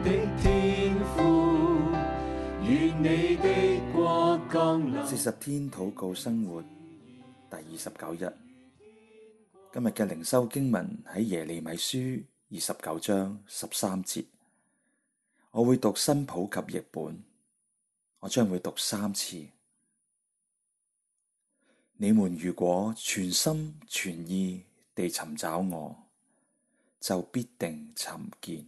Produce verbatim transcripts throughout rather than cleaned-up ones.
的天父，願你的國降臨。四十天禱告生活第二十九日，今日嘅靈修經文喺耶利米書二十九章十三節，我會讀新普及譯本，我將會讀三次。你們如果全心全意地尋找我，就必定尋見。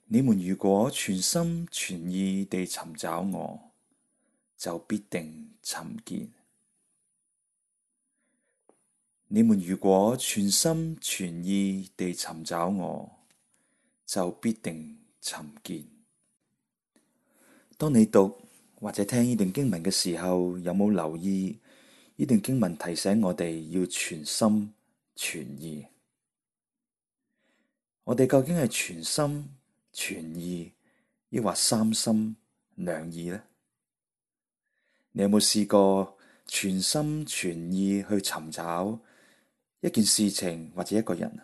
你們如果全心全意地尋找我，就必定尋見。你們如果全心全意地尋找我，就必定尋見。當你讀或者聽呢段經文嘅時候，有冇留意呢段經文提醒我哋要全心全意？我哋究竟係全心全意，抑或三心兩意呢？你有冇試過全心全意去尋找一件事情或者一個人？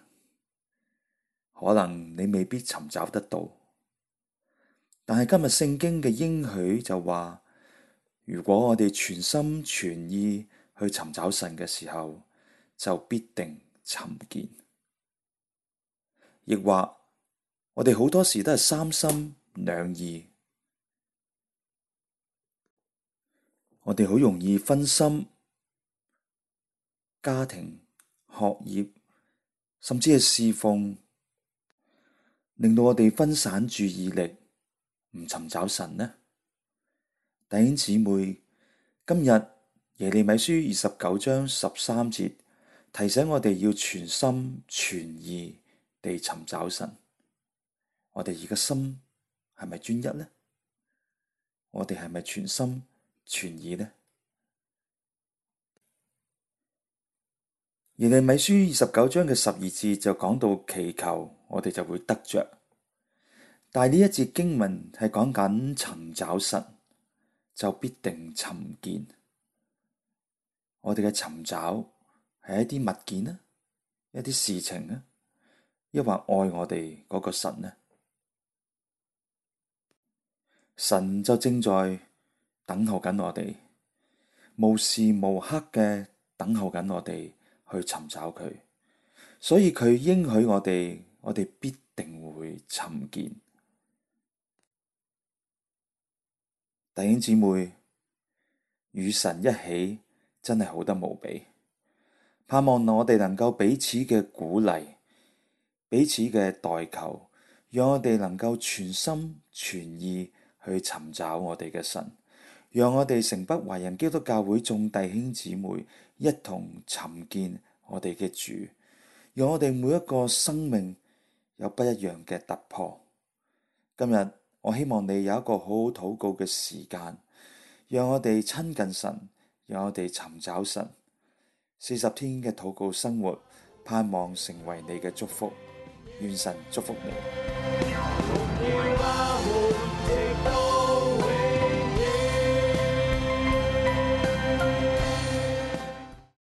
可能你未必尋找得到，但係今日聖經嘅應許就話，如果我哋全心全意去尋找神嘅時候，就必定尋見。亦或我哋好多時都係三心兩意，我哋好容易分心，家庭、學業，甚至係侍奉，令到我哋分散注意力，唔尋找神呢？弟兄姊妹，今日耶利米書二十九章十三節提醒我哋要全心全意地尋找神。我哋而家心係咪專一呢？我哋係咪全心全意呢？耶利米書二十九章嘅十二節就講到祈求，我哋就會得着。但係呢一節經文係講緊尋找神，就必定尋見。我哋嘅尋找係一啲物件呢，一啲事情呢，抑或愛我哋嗰個神呢？神就正在等候緊我哋，無時無刻嘅等候緊我哋去尋找佢，所以佢應許我哋，我哋必定會尋見。弟兄姊妹，與神一起真係好得無比，盼望我哋能夠彼此嘅鼓勵，彼此嘅代求，讓我哋能夠全心全意去尋找我哋嘅神，讓我哋城北華人基督教會眾弟兄姊妹一同尋見我哋嘅主，讓我哋每一個生命有不一樣嘅突破。今日我希望你有一個好好禱告嘅時間，讓我哋親近神，讓我哋尋找神。四十天嘅禱告生活，盼望成為你嘅祝福。願神祝福你。